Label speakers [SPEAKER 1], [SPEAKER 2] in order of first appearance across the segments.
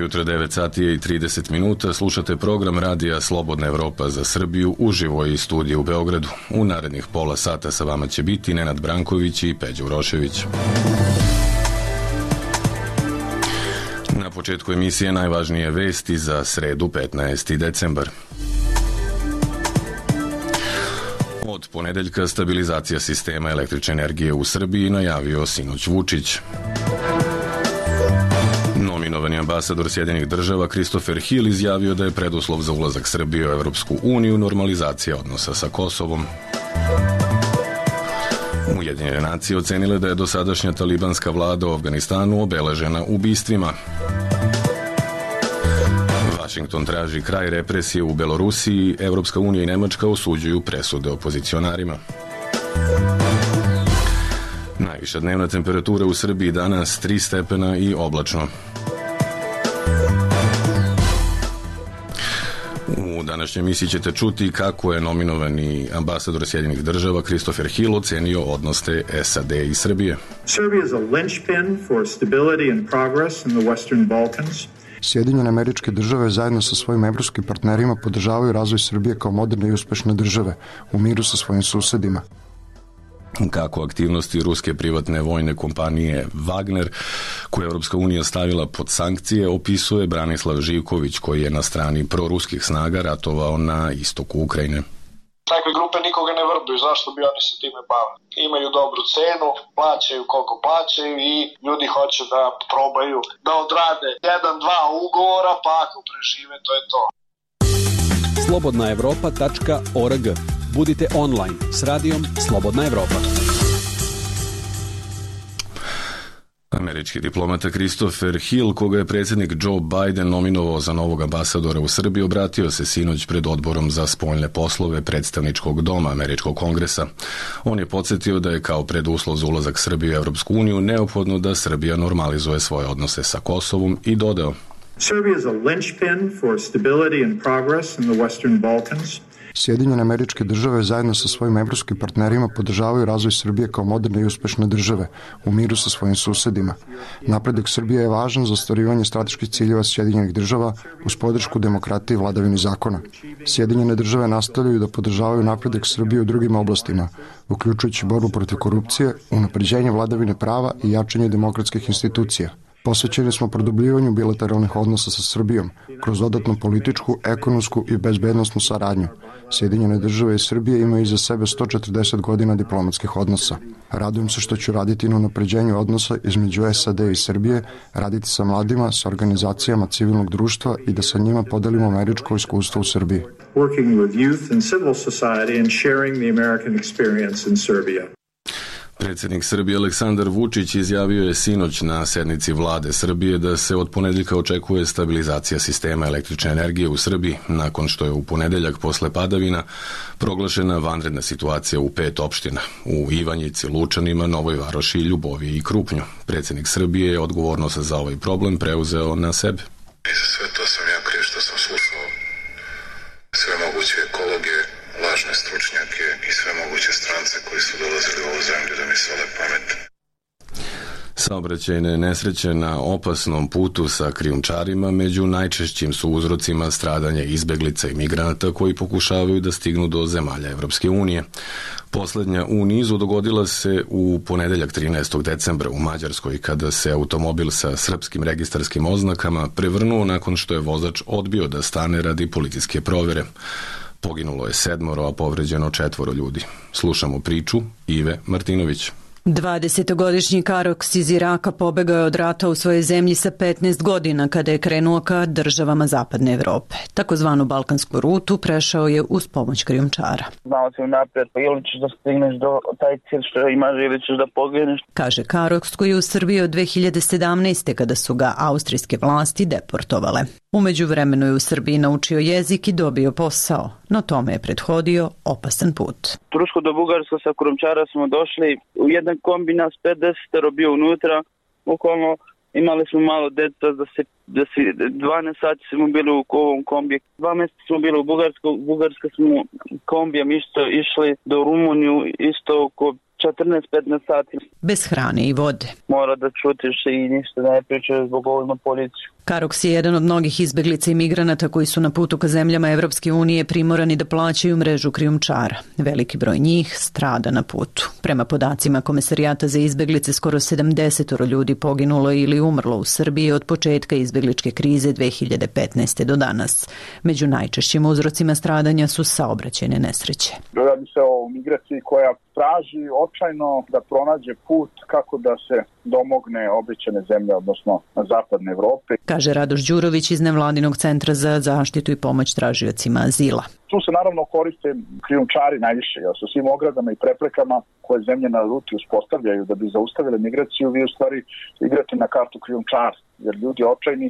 [SPEAKER 1] Dobro jutro, 9 sati i 30 minuta. Slušate program radija Slobodna Evropa za Srbiju uživo iz studija u Beogradu. U narednih pola sata sa vama će biti Nenad Branković i Peđa Urošević. Na početku emisije najvažnije vesti za sredu 15. decembar. Od ponedeljka stabilizacija sistema električne energije u Srbiji najavio sinoć Vučić. Nominovani ambasador Sjedinjenih država Christopher Hill izjavio da je preduslov za ulazak Srbije u Evropsku uniju normalizacija odnosa sa Kosovom. Ujedinjene nacije ocenile da je dosadašnja talibanska vlada u Afganistanu obeležena ubistvima. Vašington traži kraj represije u Belorusiji, Evropska unija i Nemačka osuđuju presude opozicionarima. Najviša dnevna temperatura u Srbiji danas 3 stepena i oblačno. U današnjoj emisiji ćete čuti kako je nominovani ambasador Sjedinjenih država Christopher Hill ocenio odnose SAD i Srbije.
[SPEAKER 2] Serbia is a linchpin for stability and progress in the Western Balkans.
[SPEAKER 3] Sjedinjene Američke Države zajedno sa svojim evropskim partnerima podržavaju razvoj Srbije kao moderne i uspešne države u miru sa svojim susedima.
[SPEAKER 1] Kako aktivnosti ruske privatne vojne kompanije Wagner, koju je Evropska unija stavila pod sankcije, opisuje Branislav Živković, koji je na strani proruskih snaga ratovao na istoku Ukrajine.
[SPEAKER 4] Takve grupe nikoga ne vrbuju, zašto bi oni se time bavili? Imaju dobru cenu, plaćaju koliko plaćaju i ljudi hoće da probaju da odrade 1-2 ugovora, pa ako prežive, to je to.
[SPEAKER 5] Slobodnaevropa.org. Budite online s radijom Slobodna Evropa.
[SPEAKER 1] Američki diplomata Christopher Hill, koga je predsjednik Joe Biden nominovao za novog ambasadora u Srbiji, obratio se sinoć pred odborom za spoljne poslove predstavničkog doma Američkog kongresa. On je podsjetio da je kao preduslov za ulazak Srbije u Evropsku uniju neophodno da Srbija normalizuje svoje odnose sa Kosovom i dodao:
[SPEAKER 2] Serbia is a linchpin for stability and progress in the Western Balkans.
[SPEAKER 3] Sjedinjene Američke Države zajedno sa svojim evropskim partnerima podržavaju razvoj Srbije kao moderne i uspešne države u miru sa svojim susedima. Napredak Srbije je važan za ostvarivanje strateških ciljeva Sjedinjenih država uz podršku demokratije i vladavini zakona. Sjedinjene države nastavljaju da podržavaju napredak Srbije u drugim oblastima, uključujući borbu protiv korupcije, unapređenje vladavine prava i jačanje demokratskih institucija. Posvećeni smo produbljivanju bilateralnih odnosa sa Srbijom kroz dodatnu političku, ekonomsku i bezbednosnu saradnju. Sjedinjene države i Srbije imaju iza sebe 140 godina diplomatskih odnosa. Radujem se što ću raditi na unapređenju odnosa između SAD i Srbije, raditi sa mladima, sa organizacijama civilnog društva i da sa njima podelimo američko iskustvo u Srbiji.
[SPEAKER 2] Working with youth and civil society and sharing the American experience in Serbia.
[SPEAKER 1] Predsjednik Srbije Aleksandar Vučić izjavio je sinoć na sednici vlade Srbije da se od ponedeljka očekuje stabilizacija sistema električne energije u Srbiji, nakon što je u ponedeljak posle padavina proglašena vanredna situacija u 5 opština, u Ivanjici, Lučanima, Novoj Varoši, Ljuboviji i Krupnju. Predsjednik Srbije je odgovornost za ovaj problem preuzeo na sebe.
[SPEAKER 6] I za sve to sam ja kriv što sam slušao sve moguće ekologe, lažne stručnjake i sve moguće strance koji su dolazili u ovu zemlju da mi sole pamet.
[SPEAKER 1] Saobraćajne nesreće na opasnom putu sa krijumčarima među najčešćim su uzrocima stradanja izbeglica i migranata koji pokušavaju da stignu do zemalja Evropske unije. Poslednja u nizu dogodila se u ponedeljak 13. decembra u Mađarskoj, kada se automobil sa srpskim registarskim oznakama prevrnuo nakon što je vozač odbio da stane radi policijske provere. Poginulo je 7, a povređeno 4 ljudi. Slušamo priču Ive Martinović.
[SPEAKER 7] 20-godišnji Karoks iz Iraka pobegao je od rata u svojoj zemlji sa 15 godina kada je krenuo ka državama Zapadne Evrope. Takozvanu balkansku rutu prešao je uz pomoć krijumčara.
[SPEAKER 8] Znao si unaprijed, pa ili ćeš da stigneš do taj cilj što imaš ili ćeš da pogineš.
[SPEAKER 7] Kaže Karoks, koji je u Srbiji od 2017. kada su ga austrijske vlasti deportovale. U međuvremenu je u Srbiji naučio jezik i dobio posao, no tome je prethodio opasan put.
[SPEAKER 8] Tursko do Bugarsko sa krijumčara smo došli u jedan kombi, nas 50 bio unutra, bukvalno imali smo malo deca, da si 12 sati smo bili u ovom kombiju. 2 mjeseca smo bili u Bugarska smo kombijem isto išli do Rumuniju, isto oko 14-15 sati.
[SPEAKER 7] Bez hrane i vode.
[SPEAKER 8] Mora da čutiš i ništa ne pričaš zbog ovima policiju.
[SPEAKER 7] Karoks je jedan od mnogih izbeglica i migranata koji su na putu ka zemljama Evropske unije primorani da plaćaju mrežu krijumčara. Veliki broj njih strada na putu. Prema podacima Komesarijata za izbeglice, skoro 70 ljudi poginulo ili umrlo u Srbiji od početka izbegličke krize 2015. do danas. Među najčešćim uzrocima stradanja su saobraćajne nesreće.
[SPEAKER 9] Radi se o migraciji koja traži očajno da pronađe put kako da se domogne obećane zemlje, odnosno zapadne Evrope.
[SPEAKER 7] Kaže Radoš Đurović iz Nevladinog centra za zaštitu i pomoć tražiocima azila.
[SPEAKER 9] Tu se naravno koriste krijumčari najviše, sa svim ogradama i preprekama koje zemlje na ruti uspostavljaju da bi zaustavile migraciju. Vi u stvari igrate na kartu krijumčara, jer ljudi očajni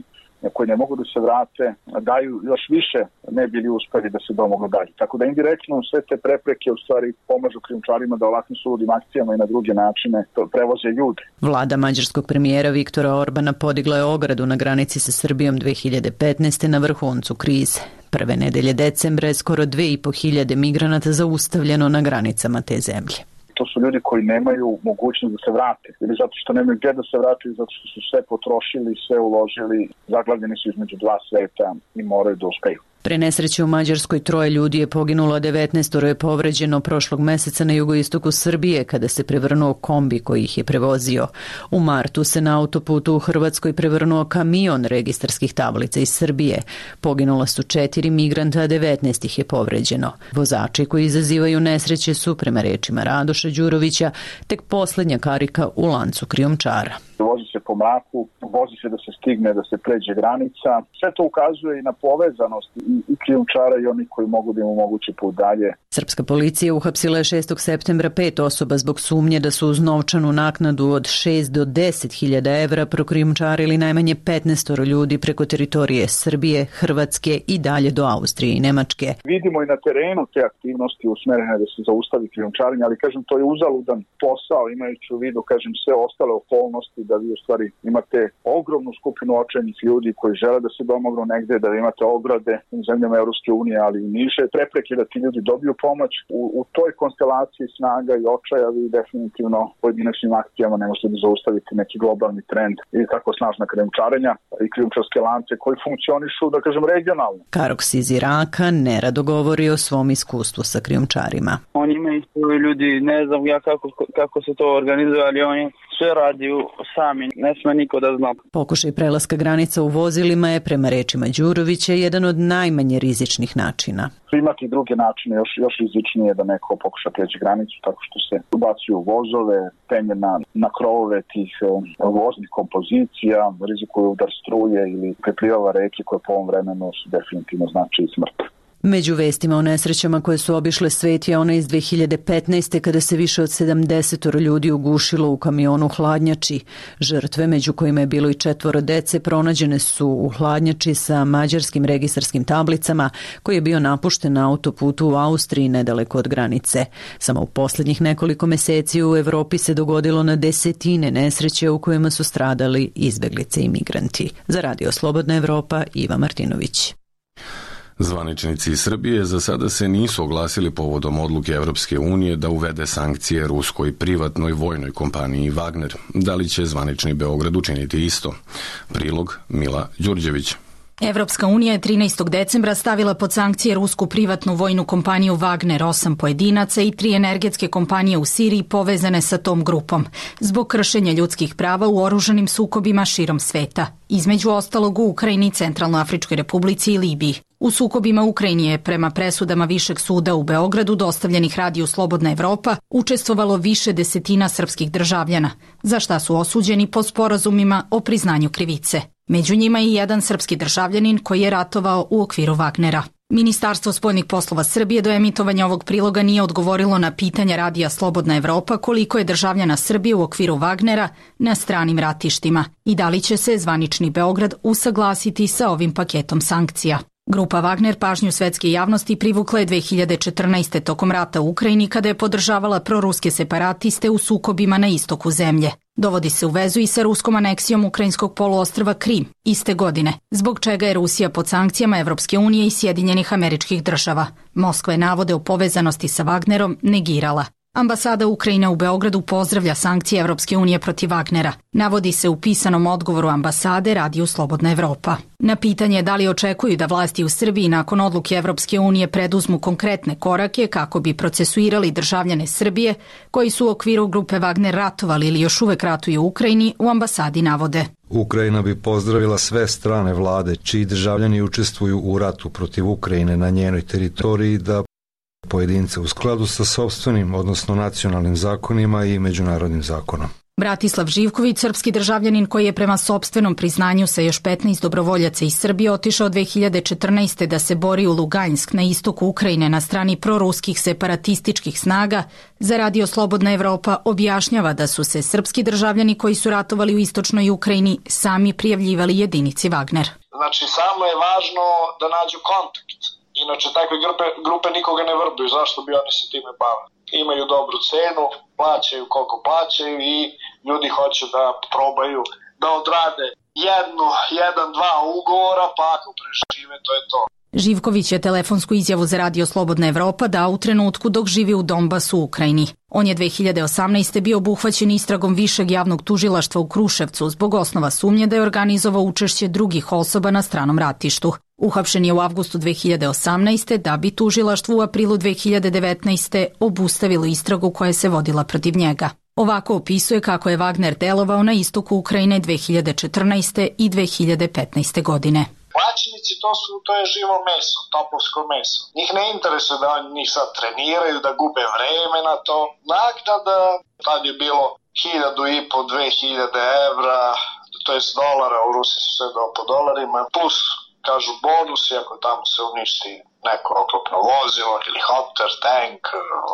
[SPEAKER 9] koji ne mogu da se vrate, daju još više, ne bili uspeli da se domognu dalje. Tako da indirektno sve te prepreke u stvari pomažu krijumčarima da ovakvim suludim akcijama i na druge načine prevoze ljude.
[SPEAKER 7] Vlada mađarskog premijera Viktora Orbana podigla je ogradu na granici sa Srbijom 2015. na vrhuncu krize. Prve nedelje decembra je skoro 2.500 migranata zaustavljeno na granicama te zemlje.
[SPEAKER 9] To su ljudi koji nemaju mogućnost da se vrate. Ili zato što nemaju gdje da se vrate, zato što su sve potrošili, sve uložili, zaglavljeni su između dva sveta i moraju da uspeju.
[SPEAKER 7] Pre nesreće u Mađarskoj 3 ljudi je poginulo, 19 je povređeno prošlog meseca na jugoistoku Srbije kada se prevrnuo kombi koji ih je prevozio. U martu se na autoputu u Hrvatskoj prevrnuo kamion registarskih tablica iz Srbije. Poginula su 4 migranta, a 19 ih je povređeno. Vozači koji izazivaju nesreće su, prema rečima Radoša Đurovića, tek poslednja karika u lancu krijumčara.
[SPEAKER 9] Vozi se po mraku, vozi se da se stigne, da se pređe granica. Sve to ukazuje i na povezanost i krijumčara i oni koji mogu da im omoguće put dalje.
[SPEAKER 7] Srpska policija uhapsila je 6. septembra 5 osoba zbog sumnje da su uz novčanu naknadu od 6 do 10.000 evra prokrijumčarili najmanje 15 ljudi preko teritorije Srbije, Hrvatske i dalje do Austrije i Nemačke.
[SPEAKER 9] Vidimo i na terenu te aktivnosti usmerene da se zaustavi krijumčarenje, ali kažem to je uzaludan posao imajući u vidu sve ostale okolnosti da vi u stvari imate ogromnu skupinu očajnih ljudi koji žele da se domognu negde, da imate ograde u zemljama Evropske unije, ali i niže prepreke da ti ljudi dobiju pomoć. U toj konstelaciji snaga i očaja vi definitivno pojedinačnim akcijama ne možete da zaustaviti neki globalni trend i tako snažna krijumčarenja i krijumčarske lance koji funkcionišu, da kažem, regionalno.
[SPEAKER 7] Karoks iz Iraka nerado govori o svom iskustvu sa krijumčarima.
[SPEAKER 8] Oni imaju svoji ljudi, ne znam ja kako se to organizuje, ali oni sve radiju sami, ne sme niko da zna.
[SPEAKER 7] Pokušaj prelaska granica u vozilima je, prema rečima Đurovića, jedan od najmanje rizičnih načina.
[SPEAKER 9] Imati i druge načine, još rizičnije da neko pokuša preći granicu tako što se ubacuju vozove, penje na krovove tih voznih kompozicija, rizikuju udar struje ili preplivava reke koje po ovom vremenu su definitivno znači i smrt.
[SPEAKER 7] Među vestima o nesrećama koje su obišle svet je ona iz 2015. kada se više od 70 ljudi ugušilo u kamionu hladnjači. Žrtve, među kojima je bilo i 4 dece, pronađene su u hladnjači sa mađarskim registarskim tablicama koji je bio napušten na autoputu u Austriji nedaleko od granice. Samo u poslednjih nekoliko meseci u Evropi se dogodilo na desetine nesreće u kojima su stradali izbeglice i migranti. Za Radio Slobodna Evropa, Iva Martinović.
[SPEAKER 1] Zvaničnici iz Srbije za sada se nisu oglasili povodom odluke Evropske unije da uvede sankcije ruskoj privatnoj vojnoj kompaniji Wagner. Da li će zvanični Beograd učiniti isto? Prilog Mila Đurđević.
[SPEAKER 10] Evropska unija je 13. decembra stavila pod sankcije rusku privatnu vojnu kompaniju Wagner, 8 pojedinaca i 3 energetske kompanije u Siriji povezane sa tom grupom, zbog kršenja ljudskih prava u oružanim sukobima širom sveta, između ostalog u Ukrajini, Centralnoafričkoj republici i Libiji. U sukobima Ukrajini je, prema presudama Višeg suda u Beogradu, dostavljenih Radiju Slobodna Evropa, učestvovalo više desetina srpskih državljana, za šta su osuđeni po sporazumima o priznanju krivice. Među njima i jedan srpski državljanin koji je ratovao u okviru Wagnera. Ministarstvo spoljnih poslova Srbije do emitovanja ovog priloga nije odgovorilo na pitanja Radija Slobodna Evropa koliko je državljana Srbije u okviru Wagnera na stranim ratištima i da li će se zvanični Beograd usaglasiti sa ovim paketom sankcija. Grupa Wagner pažnju svetske javnosti privukla je 2014. tokom rata u Ukrajini kada je podržavala proruske separatiste u sukobima na istoku zemlje. Dovodi se u vezu i sa ruskom aneksijom ukrajinskog poluostrva Krim iste godine, zbog čega je Rusija pod sankcijama Evropske unije i Sjedinjenih Američkih Država. Moskva je navode o povezanosti sa Wagnerom negirala. Ambasada Ukrajine u Beogradu pozdravlja sankcije Evropske unije protiv Wagnera. Navodi se u pisanom odgovoru ambasade Radiju Slobodna Evropa. Na pitanje da li očekuju da vlasti u Srbiji nakon odluke Evropske unije preduzmu konkretne korake kako bi procesuirali državljane Srbije koji su u okviru grupe Wagner ratovali ili još uvek ratuju u Ukrajini, u ambasadi navode.
[SPEAKER 11] Ukrajina bi pozdravila sve strane vlade čiji državljani učestvuju u ratu protiv Ukrajine na njenoj teritoriji da pojedince u skladu sa sopstvenim, odnosno nacionalnim zakonima i međunarodnim zakonom.
[SPEAKER 10] Bratislav Živković, srpski državljanin koji je prema sopstvenom priznanju sa još 15 dobrovoljaca iz Srbije otišao 2014. da se bori u Lugansk na istoku Ukrajine na strani proruskih separatističkih snaga, za Radio Slobodna Evropa objašnjava da su se srpski državljani koji su ratovali u istočnoj Ukrajini sami prijavljivali jedinici Wagner.
[SPEAKER 4] Znači, samo je važno da nađu kontakt. Inače, takve grupe nikoga ne vrbuju. Zašto bi oni se time bavili? Imaju dobru cenu, plaćaju koliko plaćaju i ljudi hoće da probaju da odrade jedan, dva ugovora, pa ako prežive, to je to.
[SPEAKER 10] Živković je telefonsku izjavu za Radio Slobodna Evropa dao u trenutku dok živi u Donbasu u Ukrajini. On je 2018. bio obuhvaćen istragom Višeg javnog tužilaštva u Kruševcu zbog osnova sumnje da je organizovao učešće drugih osoba na stranom ratištu. Uhapšen je u avgustu 2018. da bi tužilaštvo u aprilu 2019. obustavilo istragu koja se vodila protiv njega. Ovako opisuje kako je Wagner delovao na istoku Ukrajine 2014. i 2015. godine.
[SPEAKER 4] Plaćenici to je živo meso, topovsko meso. Njih ne interesuje da njih sad treniraju, da gube vreme na to. Naknada, tad je bilo 1.500, 2.000 evra, to jest dolara, u Rusiji su sve po dolarima, plus kažu bonusi ako tamo se uništi neko oklopno vozilo, helikopter, tank,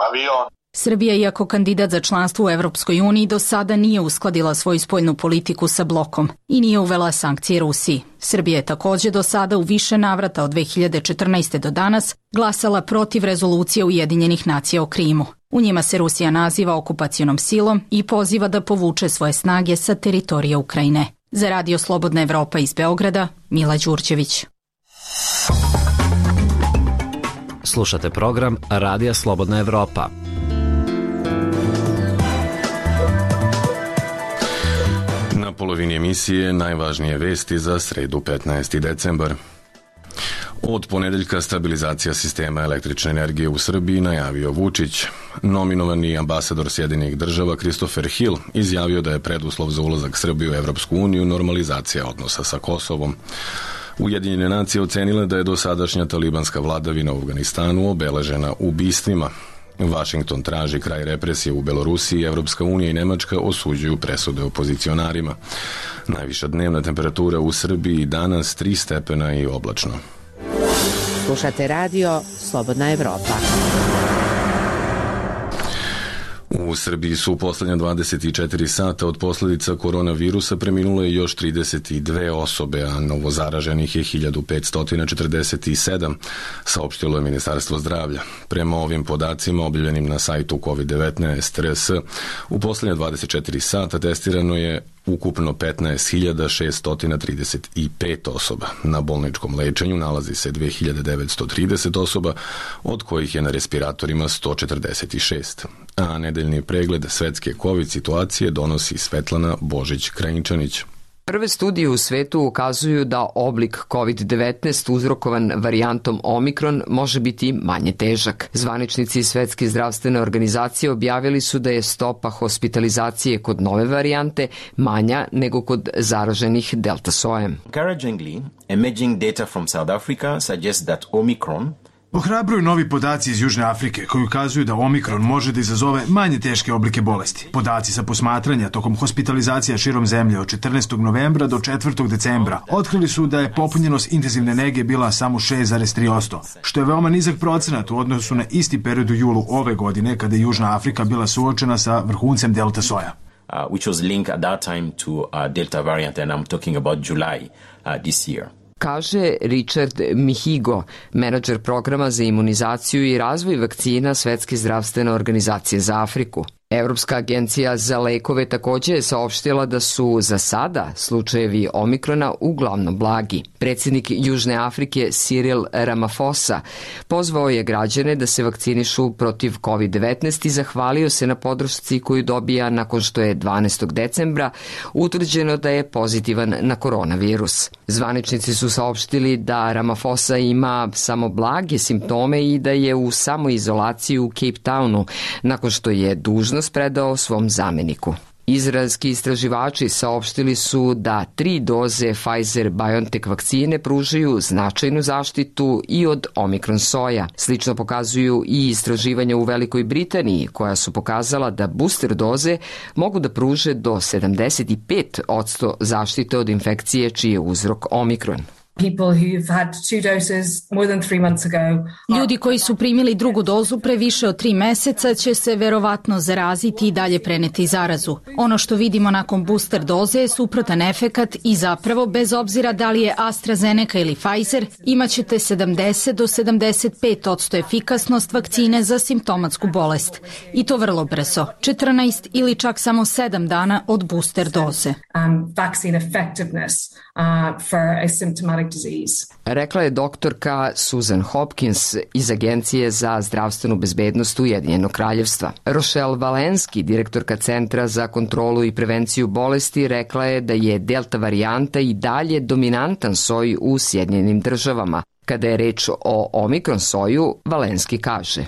[SPEAKER 4] avion.
[SPEAKER 10] Srbija, iako kandidat za članstvo u Evropskoj uniji, do sada nije uskladila svoju spoljnu politiku sa blokom i nije uvela sankcije Rusiji. Srbija je takođe do sada u više navrata od 2014. do danas glasala protiv rezolucije Ujedinjenih nacija o Krimu. U njima se Rusija naziva okupacionom silom i poziva da povuče svoje snage sa teritorija Ukrajine. Za Radio Slobodna Evropa iz Beograda, Mila Đurđević.
[SPEAKER 12] Slušate program Radija Slobodna Evropa.
[SPEAKER 1] Na polovini emisije najvažnije vesti za sredu 15. decembar. Od ponedeljka stabilizacija sistema električne energije u Srbiji najavio Vučić. Nominovani ambasador Sjedinjenih država Christopher Hill izjavio da je preduslov za ulazak Srbije u Evropsku uniju normalizacija odnosa sa Kosovom. Ujedinjene nacije ocenile da je dosadašnja talibanska vladavina u Afganistanu obeležena ubistvima. Vašington traži kraj represije u Belorusiji, Evropska unija i Nemačka osuđuju presude opozicionarima. Najviša dnevna temperatura u Srbiji danas 3 stepena i oblačno.
[SPEAKER 13] Slušate Radio Slobodna Evropa.
[SPEAKER 1] U Srbiji su u poslednja 24 sata od posledica koronavirusa preminule još 32 osobe, a novozaraženih je 1547, saopštilo je Ministarstvo zdravlja. Prema ovim podacima objavljenim na sajtu COVID-19 RS, u poslednja 24 sata testirano je ukupno 15.635 osoba. Na bolničkom lečenju nalazi se 2930 osoba, od kojih je na respiratorima 146. A nedeljni pregled svetske COVID situacije donosi Svetlana Božić-Krajinčanić.
[SPEAKER 14] Prve studije u svetu ukazuju da oblik COVID-19 uzrokovan varijantom Omikron može biti manje težak. Zvaničnici Svetske zdravstvene organizacije objavili su da je stopa hospitalizacije kod nove varijante manja nego kod zaraženih delta sojem.
[SPEAKER 15] Encouragingly, emerging data from South Africa suggests that Omicron
[SPEAKER 16] Ohrabruju novi podaci iz Južne Afrike koji ukazuju da Omikron može da izazove manje teške oblike bolesti. Podaci sa posmatranja tokom hospitalizacija širom zemlje od 14. novembra do 4. decembra otkrili su da je popunjenost intenzivne nege bila samo 6,3%, što je veoma nizak procenat u odnosu na isti period u julu ove godine kada je Južna Afrika bila suočena sa vrhuncem delta soja.
[SPEAKER 15] Which was linked at that time to Delta variant, and I'm talking about July this year.
[SPEAKER 14] Kaže Richard Mihigo, menadžer programa za imunizaciju i razvoj vakcina Svetske zdravstvene organizacije za Afriku. Evropska agencija za lekove takođe je saopštila da su za sada slučajevi omikrona uglavnom blagi. Predsjednik Južne Afrike Cyril Ramaphosa pozvao je građane da se vakcinišu protiv COVID-19 i zahvalio se na podršci koju dobija nakon što je 12. decembra utvrđeno da je pozitivan na koronavirus. Zvaničnici su saopštili da Ramaphosa ima samo blage simptome i da je u samoizolaciji u Cape Townu nakon što je dužnost predao svom zameniku. Izraelski istraživači saopštili su da 3 doze Pfizer-BioNTech vakcine pružaju značajnu zaštitu i od omikron soja. Slično pokazuju i istraživanja u Velikoj Britaniji, koja su pokazala da booster doze mogu da pruže do 75% zaštite od infekcije čiji je uzrok omikron.
[SPEAKER 10] Ljudi koji su primili drugu dozu pre više od 3 meseca će se verovatno zaraziti i dalje preneti zarazu. Ono što vidimo nakon booster doze je suprotan efekat i zapravo, bez obzira da li je AstraZeneca ili Pfizer, imaćete 70 do 75% efikasnost vakcine za simptomatsku bolest. I to vrlo brzo, 14 ili čak samo 7 dana od booster doze.
[SPEAKER 14] Rekla je doktorka Susan Hopkins iz Agencije za zdravstvenu bezbednost Ujedinjenog kraljevstva. Rochelle Walensky, direktorka Centra za kontrolu i prevenciju bolesti, rekla je da je delta varijanta i dalje dominantan soj u Sjedinjenim državama. Kada je reč o omikron soju, Walensky kaže: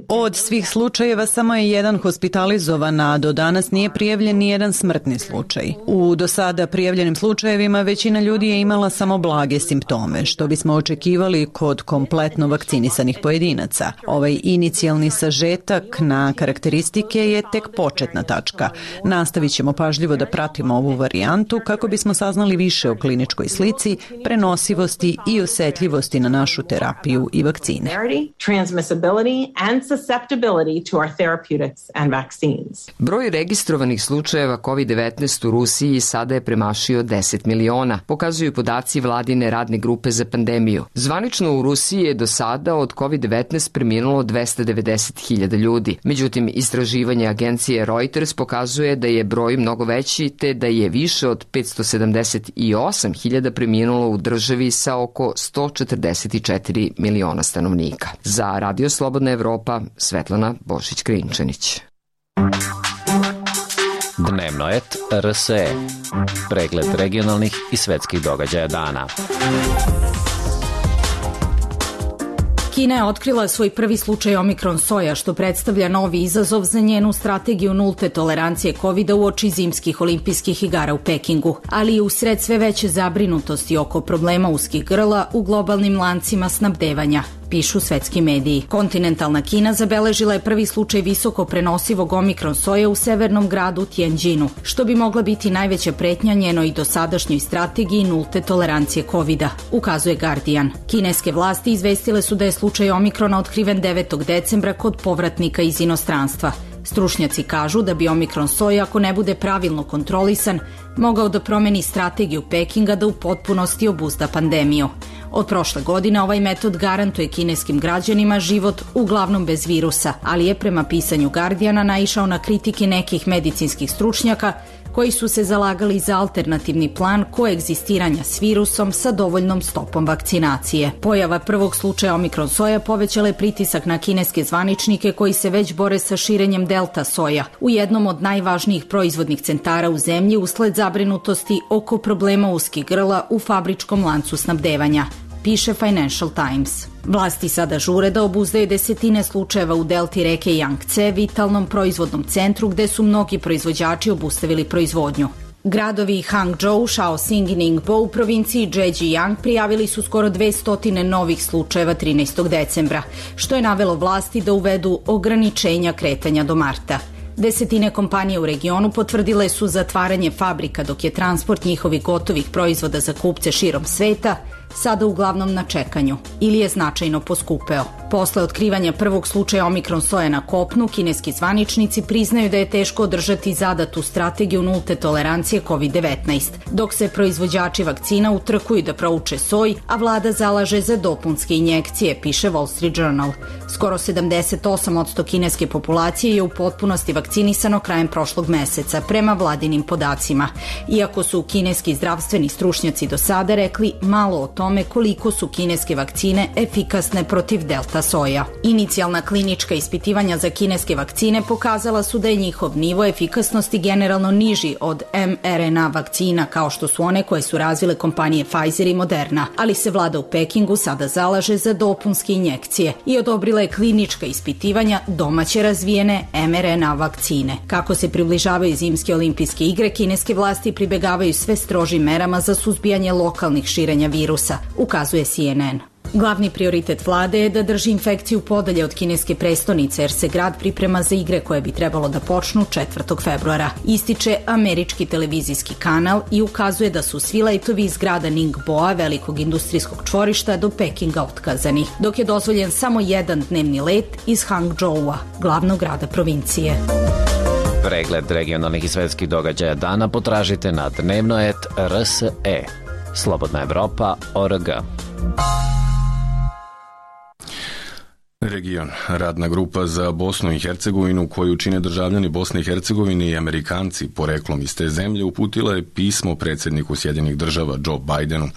[SPEAKER 7] Od svih slučajeva samo je jedan hospitalizovan, a do danas nije prijavljen ni jedan smrtni slučaj. U do sada prijavljenim slučajevima većina ljudi je imala samo blage simptome, što bismo očekivali kod kompletno vakcinisanih pojedinaca. Ovaj inicijalni sažetak na karakteristike je tek početna tačka. Nastavit ćemo pažljivo da pratimo ovu varijantu kako bismo saznali više o kliničkoj slici, prenosivosti i osetljivosti na našu terapiju i vakcine.
[SPEAKER 14] Broj registrovanih slučajeva COVID-19 u Rusiji sada je premašio 10 miliona, pokazuju podaci vladine radne grupe za pandemiju. Zvanično u Rusiji je do sada od COVID-19 preminulo 290.000 ljudi. Međutim, istraživanje agencije Reuters pokazuje da je broj mnogo veći te da je više od 578.000 preminulo u državi sa oko 144 miliona stanovnika. Za Radio Slobodna Evropa, Svetlana Bošić-Krinčanić.
[SPEAKER 12] Dnevno et RSE. Pregled regionalnih i svetskih događaja dana.
[SPEAKER 10] Kina je otkrila svoj prvi slučaj omikron soja, što predstavlja novi izazov za njenu strategiju nulte tolerancije COVID-a uoči zimskih olimpijskih igara u Pekingu, ali i usred sve veće zabrinutosti oko problema uskih grla u globalnim lancima snabdevanja, pišu svetski mediji. Kontinentalna Kina zabeležila je prvi slučaj visoko prenosivog omikron soja u severnom gradu Tianjinu, što bi mogla biti najveća pretnja njenoj dosadašnjoj strategiji nulte tolerancije COVID-a, ukazuje Guardian. Kineske vlasti izvestile su da je slučaj omikrona otkriven 9. decembra kod povratnika iz inostranstva. Stručnjaci kažu da bi omikron soja, ako ne bude pravilno kontrolisan, mogao da promeni strategiju Pekinga da u potpunosti obuzda pandemiju. Od prošle godine ovaj metod garantuje kineskim građanima život uglavnom bez virusa, ali je prema pisanju Guardiana naišao na kritike nekih medicinskih stručnjaka koji su se zalagali za alternativni plan koegzistiranja s virusom sa dovoljnom stopom vakcinacije. Pojava prvog slučaja omikron soja povećala je pritisak na kineske zvaničnike koji se već bore sa širenjem delta soja u jednom od najvažnijih proizvodnih centara u zemlji usled zabrinutosti oko problema uskih grla u fabričkom lancu snabdevanja, piše Financial Times. Vlasti sada žure da obuzdaju desetine slučajeva u delti reke Yangtze, vitalnom proizvodnom centru gde su mnogi proizvođači obustavili proizvodnju. Gradovi Hangzhou, Shaoxing i Ningbo u provinciji Zhejiang prijavili su skoro 200 novih slučajeva 13. decembra, što je navelo vlasti da uvedu ograničenja kretanja do marta. Desetine kompanije u regionu potvrdile su zatvaranje fabrika dok je transport njihovih gotovih proizvoda za kupce širom sveta sada uglavnom na čekanju ili je značajno poskupeo. Posle otkrivanja prvog slučaja omikron soje na kopnu, kineski zvaničnici priznaju da je teško održati zadatu strategiju nulte tolerancije COVID-19, dok se proizvođači vakcina utrkuju da prouče soj, a vlada zalaže za dopunske injekcije, piše Wall Street Journal. Skoro 78% kineske populacije je u potpunosti vakcinisano krajem prošlog meseca, prema vladinim podacima. Iako su kineski zdravstveni stručnjaci do sada rekli malo o tome koliko su kineske vakcine efikasne protiv delta soja. Inicijalna klinička ispitivanja za kineske vakcine pokazala su da je njihov nivo efikasnosti generalno niži od mRNA vakcina, kao što su one koje su razvile kompanije Pfizer i Moderna, ali se vlada u Pekingu sada zalaže za dopunske injekcije i odobrila je klinička ispitivanja domaće razvijene mRNA vakcine. Kako se približavaju zimske olimpijske igre, kineske vlasti pribegavaju sve strožim merama za suzbijanje lokalnih širenja virusa, ukazuje CNN. Glavni prioritet vlade je da drži infekciju podalje od kineske prestonice, jer se grad priprema za igre koje bi trebalo da počnu 4. februara. Ističe američki televizijski kanal i ukazuje da su svi letovi iz grada Ningboa, velikog industrijskog čvorišta, do Pekinga otkazani, dok je dozvoljen samo jedan dnevni let iz Hangzhoua, glavnog grada provincije.
[SPEAKER 12] Pregled regionalnih i svetskih događaja dana potražite na dnevno.rs.e. Slobodna Evropa.org.
[SPEAKER 1] Region. Radna grupa za Bosnu i Hercegovinu, koju čine državljani Bosne i Hercegovine i Amerikanci poreklom iz te zemlje, uputila je pismo predsjedniku Sjedinjenih država Joe Bidenu,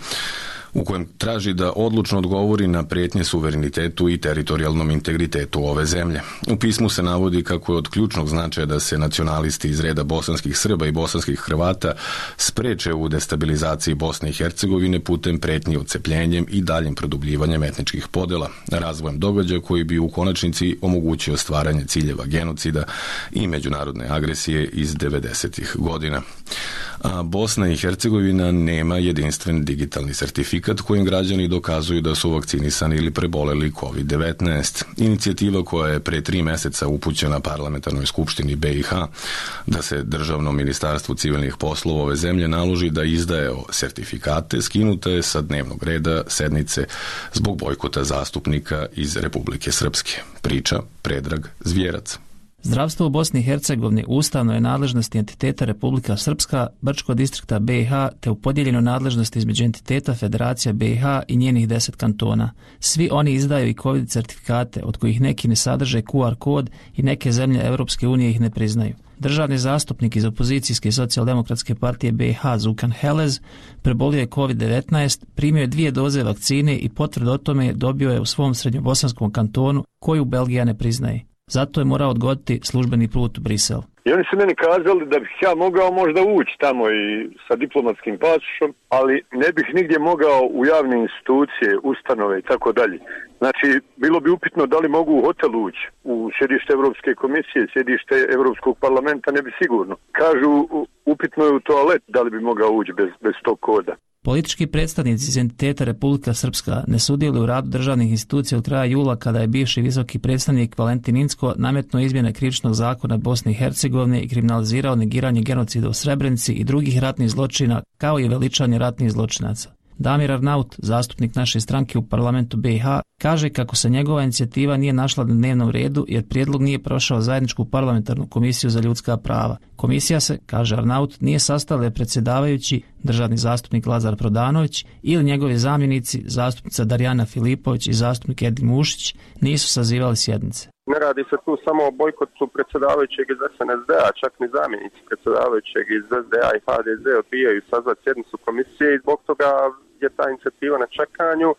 [SPEAKER 1] u kojem traži da odlučno odgovori na prijetnje suverenitetu i teritorijalnom integritetu ove zemlje. U pismu se navodi kako je od ključnog značaja da se nacionalisti iz reda bosanskih Srba i bosanskih Hrvata spreče u destabilizaciji Bosne i Hercegovine putem pretnji odcepljenjem i daljim produbljivanjem etničkih podjela, razvojem događaja koji bi u konačnici omogućio stvaranje ciljeva genocida i međunarodne agresije iz 90. godina. A Bosna i Hercegovina nema jedinstven digitalni sertifikat kojim građani dokazuju da su vakcinisani ili preboleli COVID-19. Inicijativa koja je pre 3 meseca upućena parlamentarnoj skupštini BiH da se Državnom ministarstvu civilnih poslova ove zemlje naloži da izdaje sertifikate, skinuta je sa dnevnog reda sednice zbog bojkota zastupnika iz Republike Srpske. Priča Predrag Zvjerac.
[SPEAKER 17] Zdravstvo u Bosni i Hercegovini ustavno je nadležnosti entiteta Republika Srpska, Brčkog distrikta BiH, te u podijeljenoj nadležnosti između entiteta Federacija BiH i njenih 10 kantona. Svi oni izdaju i COVID certifikate, od kojih neki ne sadrže QR kod i neke zemlje Europske unije ih ne priznaju. Državni zastupnik iz opozicijske socijaldemokratske partije BiH Zukan Helez prebolio je COVID-19, primio je 2 doze vakcine i potvrdu o tome dobio je u svom srednjobosanskom kantonu, koju Belgija ne priznaje. Zato je morao odgoditi službeni put u Brisel.
[SPEAKER 18] I oni su meni kazali da bih ja mogao možda ući tamo i sa diplomatskim pasošom, ali ne bih nigdje mogao u javne institucije, ustanove i tako dalje. Znači, bilo bi upitno da li mogu u hotel ući, u sjedište Europske komisije, sjedište Europskog parlamenta, ne bi sigurno. Kažu, upitno je u toalet da li bi mogao ući bez tog koda.
[SPEAKER 17] Politički predstavnici iz entiteta Republika Srpska ne sudjeluju u radu državnih institucija od kraja jula, kada je bivši visoki predstavnik Valentin Incko nametnuo izmjene krivičnog zakona Bosne i Hercegovine i kriminalizirao negiranje genocida u Srebrenici i drugih ratnih zločina, kao i veličanje ratnih zločinaca. Damir Arnaut, zastupnik naše stranke u parlamentu BiH, kaže kako se njegova inicijativa nije našla na dnevnom redu jer prijedlog nije prošao zajedničku parlamentarnu komisiju za ljudska prava. Komisija se, kaže Arnaut, nije sastala predsjedavajući, državni zastupnik Lazar Prodanović ili njegovi zamjenici, zastupnica Darjana Filipović i zastupnik Edin Mušić, nisu sazivali sjednice.
[SPEAKER 19] Ne radi se tu samo o bojkotu predsjedavajućeg iz SNSD-a, čak ni zamjenici predsjedavajućeg iz SDA i HDZ odbijaju sazvati sjednicu komisije i zbog toga je ta inicijativa na čekanju,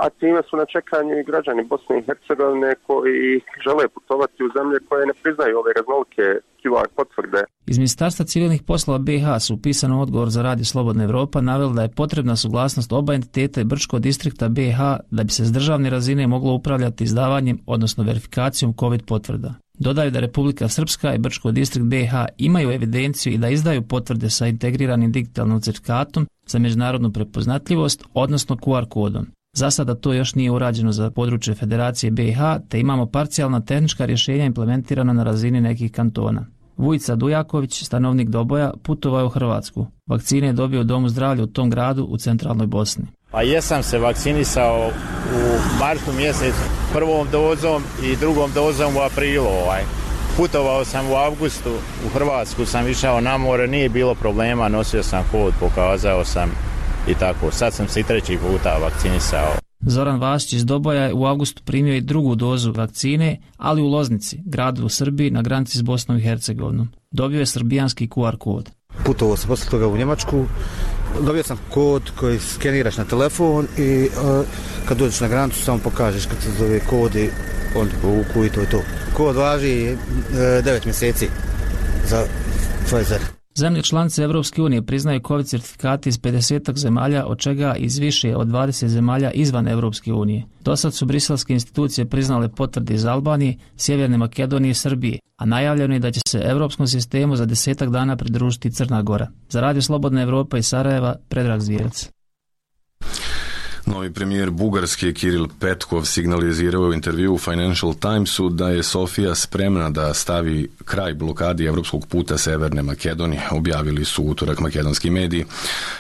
[SPEAKER 19] a time su na čekanju i građani Bosne i Hercegovine koji žele putovati u zemlje koje ne priznaju ove raznolike QR potvrde.
[SPEAKER 17] Iz Ministarstva civilnih poslova BiH su u pisanom odgovor za Radio Slobodna Evropa naveli da je potrebna suglasnost oba entiteta i Brčkog distrikta BiH da bi se s državne razine moglo upravljati izdavanjem, odnosno verifikacijom COVID potvrda. Dodaju da Republika Srpska i Brčkog distrikt BiH imaju evidenciju i da izdaju potvrde sa integriranim digitalnim certifikatom za međunarodnu prepoznatljivost, odnosno QR kodom. Za sada to još nije urađeno za područje Federacije BiH, te imamo parcijalna tehnička rješenja implementirana na razini nekih kantona. Vujica Dujaković, stanovnik Doboja, putovao je u Hrvatsku. Vakcine je dobio u domu zdravlja u tom gradu u centralnoj Bosni.
[SPEAKER 20] Pa jesam se vakcinisao u martu mjesecu, prvom dozom i drugom dozom u aprilu. Putovao sam u avgustu, u Hrvatsku sam išao na more, nije bilo problema, nosio sam kod, pokazao sam i tako. Sad sam se i 3. puta vakcinisao.
[SPEAKER 17] Zoran Vasić iz Doboja je u avgustu primio i drugu dozu vakcine, ali u Loznici, gradu u Srbiji na granici s Bosnom i Hercegovinom. Dobio je srbijanski QR kod.
[SPEAKER 21] Putovao sam posle toga u Njemačku, dobio sam kod koji skeniraš na telefon i kad dođeš na granicu samo pokažeš kad se zove kod i on te povuku i to je to. Kod važi 9 mjeseci za Pfizer.
[SPEAKER 17] Zemlje članice Evropske unije priznaju COVID certifikate iz 50 zemalja, od čega iz više od 20 zemalja izvan Evropske unije. Dosad su briselske institucije priznale potvrde iz Albanije, Sjeverne Makedonije i Srbije, a najavljeno je da će se evropskom sistemu za 10 dana pridružiti Crna Gora. Za Radio Slobodna Evropa iz Sarajeva, Predrag Zvijerac.
[SPEAKER 1] Novi premijer Bugarske Kiril Petkov signalizirao u intervju u Financial Timesu da je Sofija spremna da stavi kraj blokadi evropskog puta Severne Makedonije, objavili su utorak makedonski mediji.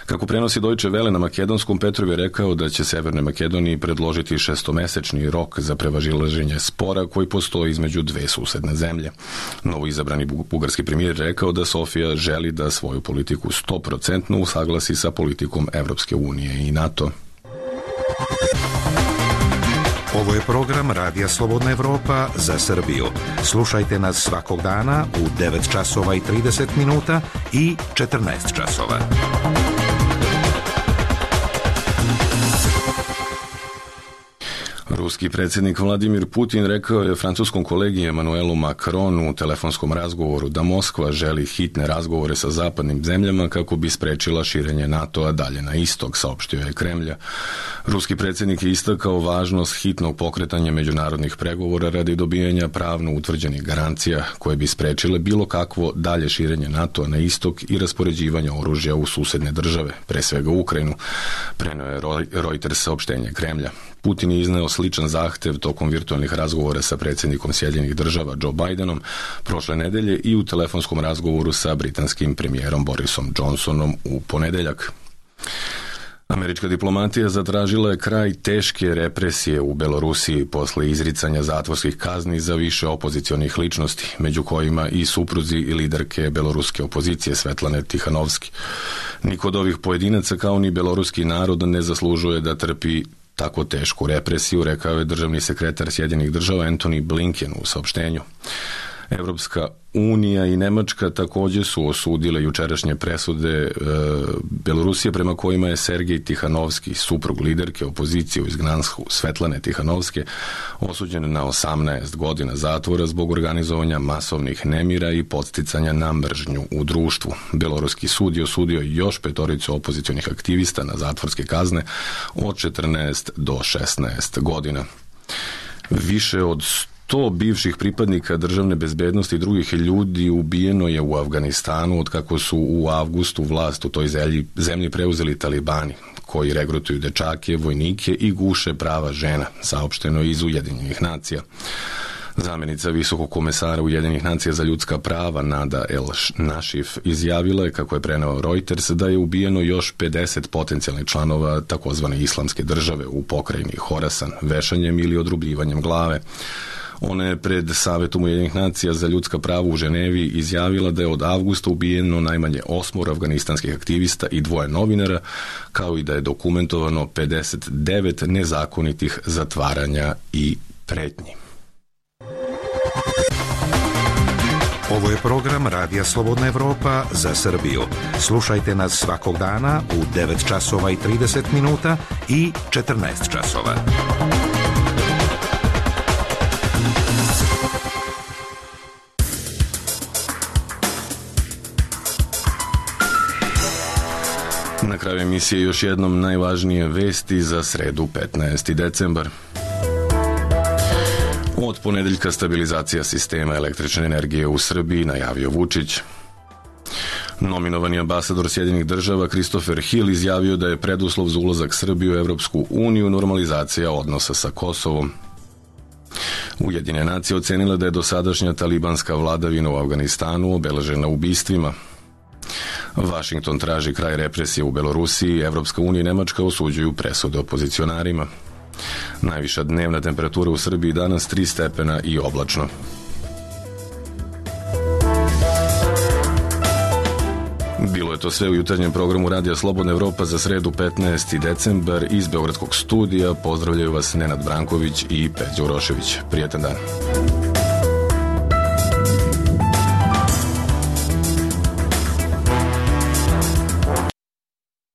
[SPEAKER 1] Kako prenosi Deutsche Welle na makedonskom, Petrov je rekao da će Severnoj Makedoniji predložiti 6-mesečni rok za prevazilaženje spora koji postoji između dve susedne zemlje. Novoizabrani bugarski premijer rekao da Sofija želi da svoju politiku 100% usaglasi sa politikom Evropske unije i NATO.
[SPEAKER 22] Ovo je program Radija Slobodna Evropa za Srbiju. Slušajte nas svakog dana u 9 časova i 30 minuta i 14 časova.
[SPEAKER 1] Ruski predsjednik Vladimir Putin rekao je francuskom kolegi Emmanuelu Macronu u telefonskom razgovoru da Moskva želi hitne razgovore sa zapadnim zemljama kako bi sprečila širenje NATO-a dalje na istok, saopštio je Kremlja. Ruski predsjednik je istakao važnost hitnog pokretanja međunarodnih pregovora radi dobijanja pravno utvrđenih garancija koje bi sprečile bilo kakvo dalje širenje NATO-a na istok i raspoređivanje oružja u susedne države, pre svega Ukrajinu, preneo je Reuters saopštenje Kremlja. Putin je izneo sličan zahtev tokom virtualnih razgovora sa predsjednikom Sjedinjenih država Joe Bidenom prošle nedelje i u telefonskom razgovoru sa britanskim premijerom Borisom Johnsonom u ponedeljak. Američka diplomatija zatražila je kraj teške represije u Belorusiji posle izricanja zatvorskih kazni za više opozicionih ličnosti, među kojima i supruzi i liderke beloruske opozicije Svetlane Tihanovski. Niko od ovih pojedinaca kao ni beloruski narod ne zaslužuje da trpi tako tešku represiju, rekao je državni sekretar Sjedinjenih država Antony Blinken u saopštenju. Evropska unija i Nemačka također su osudile jučerašnje presude Belorusije prema kojima je Sergej Tihanovski, suprug liderke opozicije u izgnanstvu Svetlane Tihanovske, osuđen na 18 godina zatvora zbog organizovanja masovnih nemira i podsticanja na mržnju u društvu. Beloruski sud je osudio još 5 opozicionih aktivista na zatvorske kazne od 14 do 16 godina. Više od 100 bivših pripadnika državne bezbednosti i drugih ljudi ubijeno je u Afganistanu od kako su u avgustu vlast u toj zemlji preuzeli talibani, koji regrutuju dečake, vojnike i guše prava žena, saopšteno iz Ujedinjenih nacija. Zamjenica visokog komesara Ujedinjenih nacija za ljudska prava Nada El Našif izjavila je, kako je preneo Reuters, da je ubijeno još 50 potencijalnih članova takozvane islamske države u pokrajini Horasan vešanjem ili odrubljivanjem glave. Ona je pred Savetom Ujedinjenih nacija za ljudska prava u Ženevi izjavila da je od avgusta ubijeno najmanje 8 afganistanskih aktivista i 2 novinara, kao i da je dokumentovano 59 nezakonitih zatvaranja i pretnji.
[SPEAKER 22] Ovo je program Radija Slobodna Evropa za Srbiju. Slušajte nas svakog dana u 9 časova i 30 minuta i 14 časova.
[SPEAKER 1] Na kraju emisije još jednom najvažnije vesti za sredu 15. decembar. Od ponedeljka stabilizacija sistema električne energije u Srbiji, najavio Vučić. Nominovani ambasador Sjedinjenih država Christopher Hill izjavio da je preduslov za ulazak Srbije u Evropsku uniju normalizacija odnosa sa Kosovom. Ujedinjene nacije ocenile da je dosadašnja talibanska vladavina u Afganistanu obeležena ubistvima. Vašington traži kraj represije u Belorusiji, Evropska unija i Nemačka osuđuju presude opozicionarima. Najviša dnevna temperatura u Srbiji danas 3 stepena i oblačno. Bilo je to sve u jutarnjem programu Radija Slobodna Evropa za sredu 15. decembar. Iz Beogradskog studija pozdravljaju vas Nenad Branković i Peđa Urošević. Prijetan dan.